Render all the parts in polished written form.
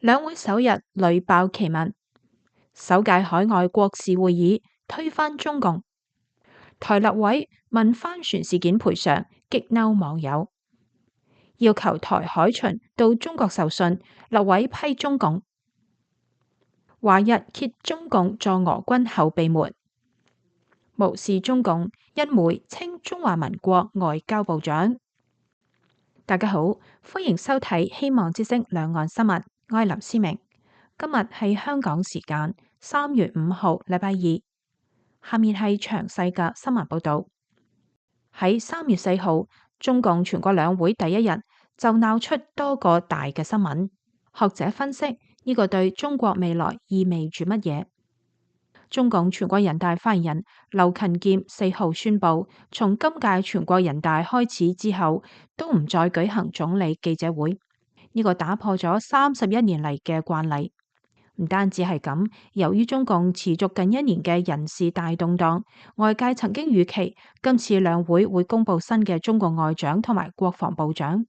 兩會首日屢爆奇聞，首屆海外國事會議推翻中共，台立委問帆船事件賠償，激嬲網友，要求台海巡到中國受信，立委批中共。華日揭中共助俄軍後備門，無視中共，一枚稱中華民國外交部長。大家好，歡迎收睇希望之聲兩岸新聞，我係林思明。今日係香港時間3月5號禮拜二，下面係詳細嘅新聞報道。喺3月4號，中共全國兩會第一日就鬧出多個大嘅新聞，學者分析呢個對中國未來意味住乜嘢？中共全國人大發言人劉勤儉4號宣布，從今屆全國人大開始之後，都唔再舉行總理記者會。呢個打破咗31年嚟嘅慣例。唔單止係咁，由於中共持續近1年嘅人事大動盪，外界曾經預期今次兩會會公布新嘅中國外長同埋國防部長。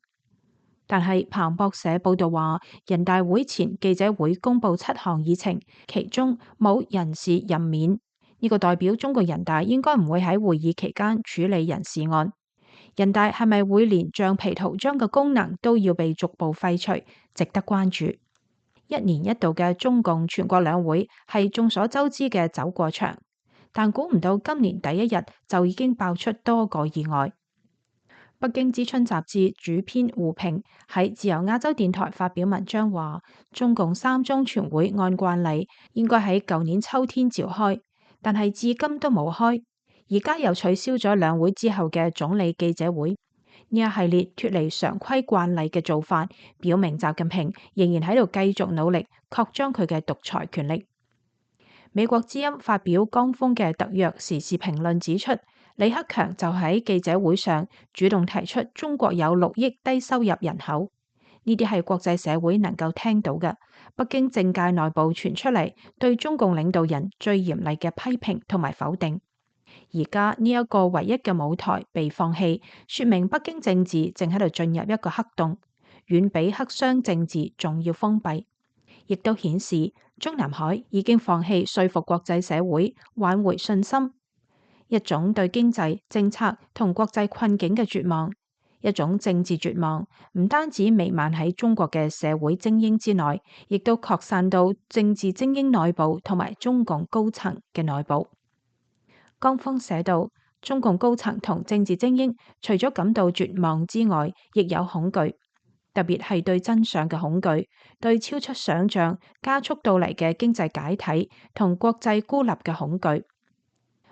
但係彭博社報道話，人大會前記者會公布7項議程，其中冇人事任免。呢個代表中國人大應該唔會喺會議期間處理人事案。人大係咪會連橡皮圖章嘅功能都要被逐步廢除，值得關注。1年1度嘅中共全國兩會係眾所周知嘅走過場，但估唔到今年第一日就已經爆出多個意外。北京之春雜誌主編胡平喺自由亞洲電台發表文章話，中共3中全會按慣例應該喺舊年秋天召開，但係至今都冇開，而家又取消咗兩會之後嘅總理記者會。呢一系列脫離常規慣例嘅做法，表明習近平仍然喺度繼續努力擴張佢嘅獨裁權力。美國之音發表剛峰嘅特約時事評論指出，李克強就喺記者會上主動提出中國有6億低收入人口，呢啲係國際社會能夠聽到嘅。北京政界內部傳出嚟對中共領導人最嚴厲嘅批評同埋否定。而家呢一個唯一嘅舞台被放棄，說明北京政治正喺度進入一個黑洞，遠比黑箱政治仲要封閉，亦都顯示中南海已經放棄說服國際社會挽回信心。一種對經濟政策同國際困境嘅絕望，一種政治絕望，唔單止彌漫喺中國嘅社會精英之內，亦都擴散到政治精英內部同埋中共高層嘅內部。剛峰寫道，中共高層同政治精英除咗感到絕望之外，亦有恐懼，特別係對真相嘅恐懼，對超出想象加速到嚟嘅經濟解體同國際孤立嘅恐懼。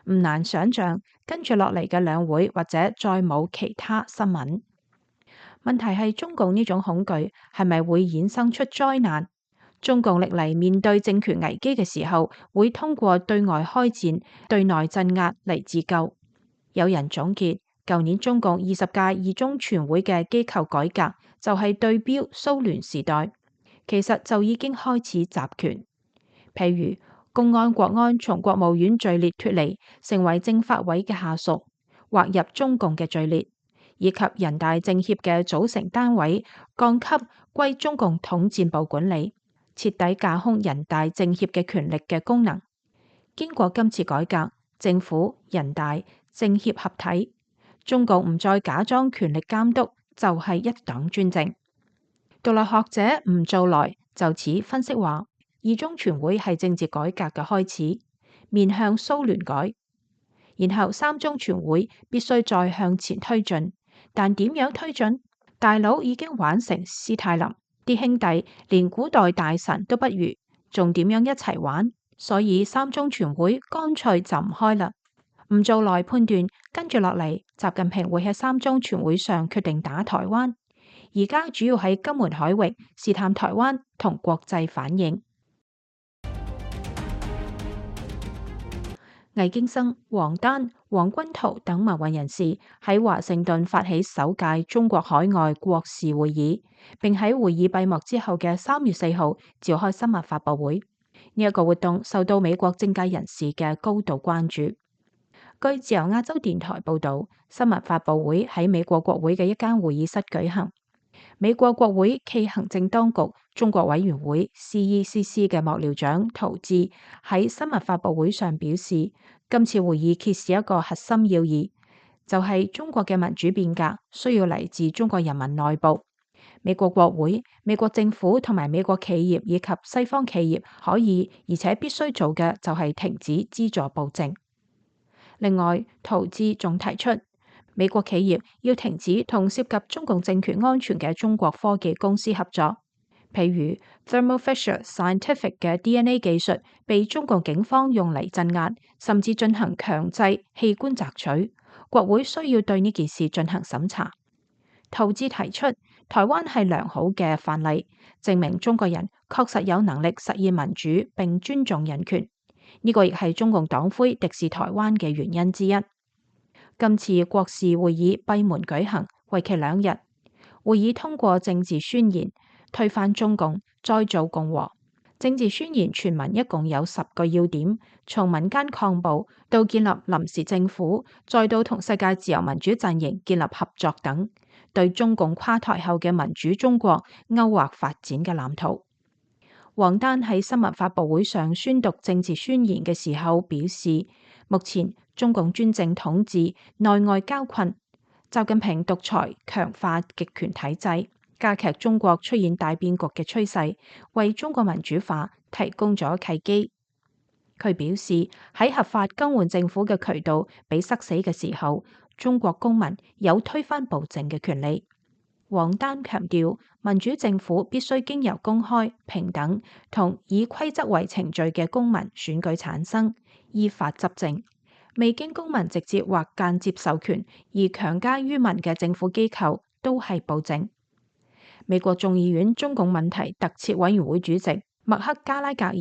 唔難想象，跟住落嚟嘅兩會或者再冇其他新聞。問題係中共呢種恐懼係咪會衍生出災難？中共歷嚟面對政權危機嘅時候，會通過對外開戰、對內鎮壓嚟自救。有人總結，舊年中共20屆2中全會嘅機構改革就係對標蘇聯時代，其實就已經開始集權。譬如公安、國安從國務院序列脫離，成為政法委嘅下屬，劃入中共嘅序列，以及人大政協嘅組成單位降級歸中共統戰部管理，徹底架空人大政協嘅權力嘅功能。經過今次改革，政府、人大、政協合體，中共唔再假裝權力監督，就係一黨專政。獨立學者吳棗來就此分析話，2中全會係政治改革嘅開始，面向蘇聯改，然後3中全會必須再向前推進，但點樣推進？大佬已經玩成斯大林，啲兄弟連古代大臣都不如，仲點樣一齊玩？所以3中全會乾脆就唔開啦。吳棗來判斷，跟住落嚟，習近平會喺3中全會上決定打台灣，而家主要喺金門海域試探台灣同國際反應。魏京生、王丹、黃君濤等民運人士喺華盛頓發起首屆中國海外國事會議，並喺會議閉幕之後嘅3月4號召開新聞發佈會。呢一個活動受到美國政界人士嘅高度關注。據自由亞洲電台報道，新聞發佈會喺美國國會嘅一間會議室舉行。美國國會暨行政當局中國委員會 CECC 嘅幕僚長陶志喺新聞發佈會上表示，今次會議揭示一個核心要義，就係中國嘅民主變革需要嚟自中國人民內部。美國國會、美國政府同埋美國企業以及西方企業可以而且必須做嘅就係停止資助暴政。另外，陶志仲提出，美國企業要停止同涉及中共政權安全嘅中國科技公司合作，譬如 Thermo Fisher Scientific 嘅 DNA 技術被中共警方用嚟鎮壓，甚至進行強制器官摘取。國會需要對呢件事進行審查。陶志提出，台灣係良好嘅範例，證明中國人確實有能力實現民主並尊重人權。呢個亦係中共黨魁敵視台灣嘅原因之一。今次國事會議閉門舉行，為期2日。會議通過政治宣言，推翻中共，再造共和。政治宣言全文一共有10個要點，從民間抗暴到建立臨時政府，再到同世界自由民主陣營建立合作等，對中共垮台後嘅民主中國勾畫發展嘅藍圖。王丹喺新聞發佈會上宣讀政治宣言嘅時候表示，目前中共專政統治內外交困，習近平獨裁強化極權體制，加劇中國出現大變局嘅趨勢，為中國民主化提供咗契機。佢表示，喺合法更換政府嘅渠道被塞死嘅時候，中國公民有推翻暴政嘅權利。王丹強調，民主政府必須經由公開、平等同以規則為程序嘅公民選舉產生，依法執政。未經公民直接或間接授權而強加於民嘅政府機構都係暴政。美國眾議院中共問題特設委員會主席麥克加拉格爾、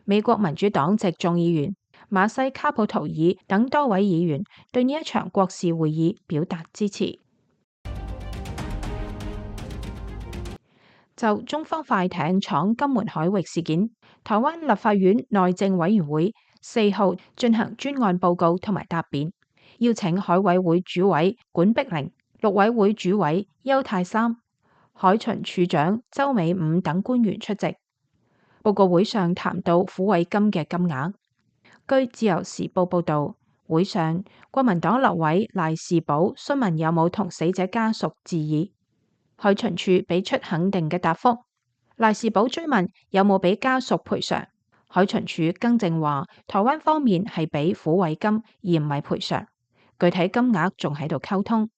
美國民主黨籍眾議員馬西卡普圖爾等多位議員對呢一場國事會議表達支持。就中方快艇闖金門海域事件，台灣立法院內政委員會4號進行專案報告同埋答辯，邀請海委會主委管碧玲、陸委會主委邱太三、海巡署長周美五等官員出席。報告會上談到撫慰金嘅金額。據自由時報報道，會上國民黨立委賴士葆詢問有冇同死者家屬致意。海巡署俾出肯定嘅答覆。賴士葆追問有冇俾家屬賠償，海巡署更正話台灣方面係俾撫慰金而唔係賠償，具體金額仲喺度溝通。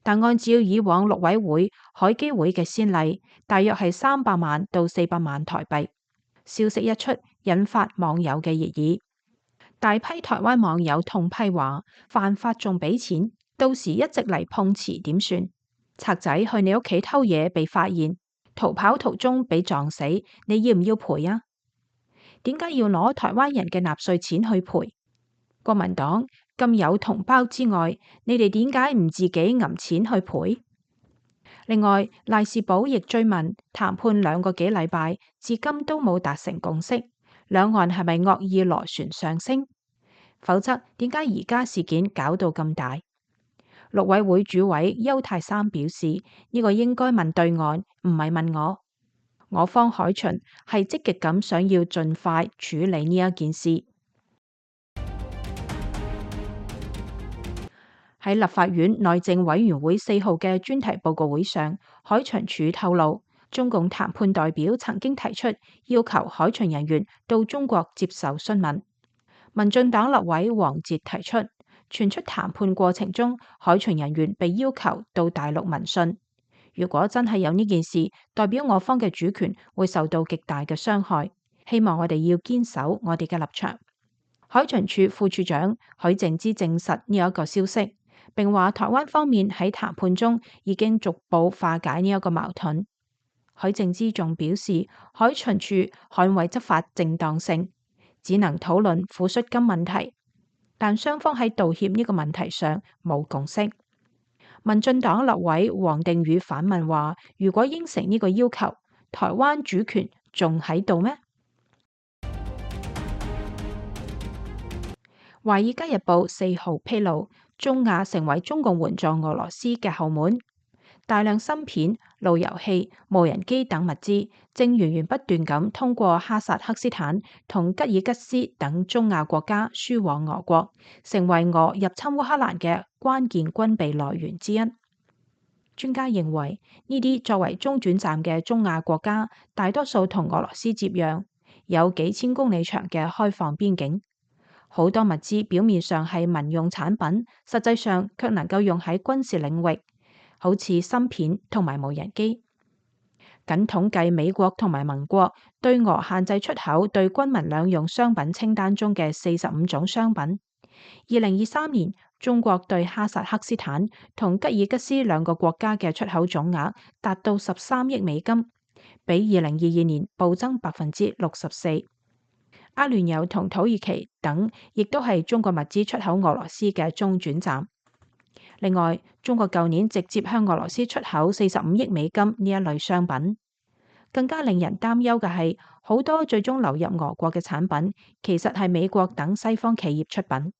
但按照以往陸委會、海基會嘅先例，大約係300萬到400萬台幣。消息一出，引發網友嘅熱議，大批台灣網友痛批話犯法仲俾錢，到時一直嚟碰瓷點算？賊仔去你屋企偷嘢被發現，逃跑途中被撞死，你要唔要賠啊？點解要攞台灣人嘅納稅錢去賠？國民黨咁有同胞之外，你哋點解唔自己揞錢去賠？另外，賴士葆亦追問談判2個幾禮拜，至今都冇達成共識，兩岸係咪惡意螺旋上升？否則點解而家事件搞到咁大？陸委會主委邱太三表示，呢個應該問對岸，唔係問我。我方海巡係積極咁想要盡快處理呢一件事。喺立法院內政委員會4號嘅專題報告會上，海巡署透露，中共談判代表曾經提出要求海巡人員到中國接受詢問。民進黨立委黃捷提出，傳出談判過程中海巡人員被要求到大陸聞訊。如果真係有呢件事，代表我方嘅主權會受到極大嘅傷害。希望我哋要堅守我哋嘅立場。海巡署副署長許靜之證實呢一個消息，並話台灣方面喺談判中已經逐步化解呢一個矛盾。許靜之仲表示，海巡署捍衛執法正當性，只能討論撫恤金問題，但雙方喺道歉呢個問題上冇共識。民進黨立委王定宇反問話，如果應承呢個要求，台灣主權仲喺度咩？華爾街日報4號披露，中亞成為中共援助俄羅斯嘅後門。大量芯片、路由器、無人機等物資正源源不斷咁通過哈薩克斯坦同吉爾吉斯等中亞國家輸往俄國，成為俄入侵烏克蘭嘅關鍵軍備來源之一。專家認為，呢啲作為中轉站嘅中亞國家，大多數同俄羅斯接壤，有幾千公里長嘅開放邊境。好多物資表面上係民用產品，實際上卻能夠用喺軍事領域，好似芯片同埋無人機。僅統計美國同埋盟國對俄限制出口對軍民兩用商品清單中嘅45種商品。2023年，中國對哈薩克斯坦同吉爾吉斯兩個國家嘅出口總額達到13億美金，比2022年暴增64%。阿聯酋同土耳其等亦都係中國物資出口俄羅斯嘅中轉站。另外，中國舊年直接向俄羅斯出口45億美金呢一類商品。更加令人擔憂嘅係，好多最終流入俄國嘅產品，其實係美國等西方企業出品。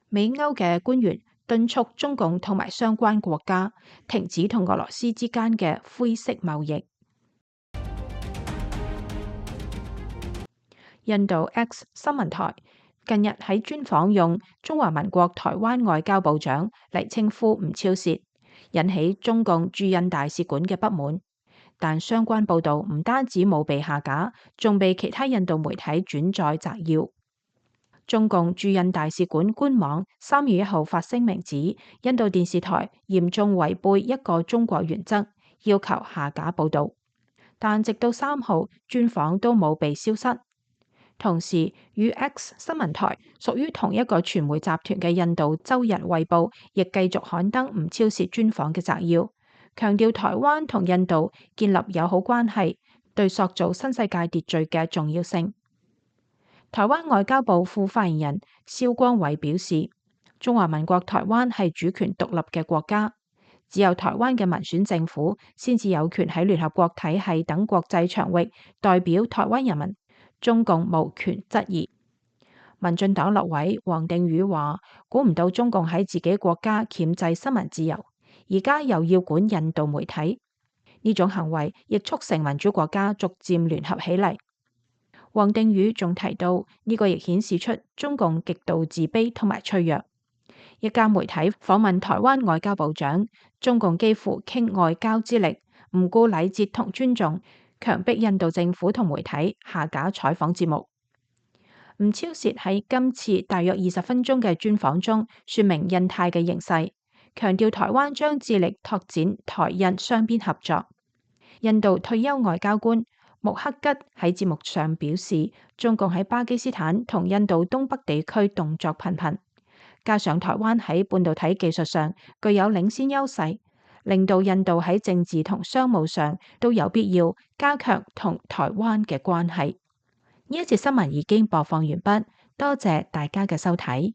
美歐嘅官員敦促中共同埋相關國家停止同俄羅斯之間嘅灰色貿易。印度 X 新聞台近日喺專訪用中華民國台灣外交部長嚟稱呼吳釗燮，引起中共駐印大使館嘅不滿。但相關報導唔單止冇被下架，仲被其他印度媒體轉載摘要。中共駐印大使館官網3月1號發聲明指，印度電視台嚴重違背一個中國原則，要求下架報導。但直到3號，專訪都冇被消失。同時，與 X 新聞台屬於同一個傳媒集團嘅印度周日衛報亦繼續刊登吳釗燮專訪嘅摘要，強調台灣同印度建立友好關係對塑造新世界秩序嘅重要性。台灣外交部副發言人蕭光偉表示，中華民國台灣係主權獨立嘅國家，只有台灣嘅民選政府先至有權喺聯合國體系等國際場域代表台灣人民。中共無權質疑。民進黨立委王定宇話：估唔到中共喺自己國家鉗制新聞自由，而家又要管印度媒體，呢種行為亦促成民主國家逐漸聯合起嚟。王定宇仲提到，呢個亦顯示出中共極度自卑同埋脆弱。一家媒體訪問台灣外交部長，中共幾乎傾外交之力，唔顧禮節同尊重，強迫印度政府同媒體下架採訪節目。吳釗燮喺今次大約20分鐘嘅專訪中，說明印太嘅形勢，強調台灣將致力拓展台印雙邊合作。印度退休外交官穆克吉喺節目上表示，中共喺巴基斯坦同印度東北地區動作頻頻，加上台灣喺半導體技術上具有領先優勢，令到印度喺政治同商務上都有必要加強同台灣嘅關係。呢一節新聞已經播放完畢，多謝大家嘅收睇。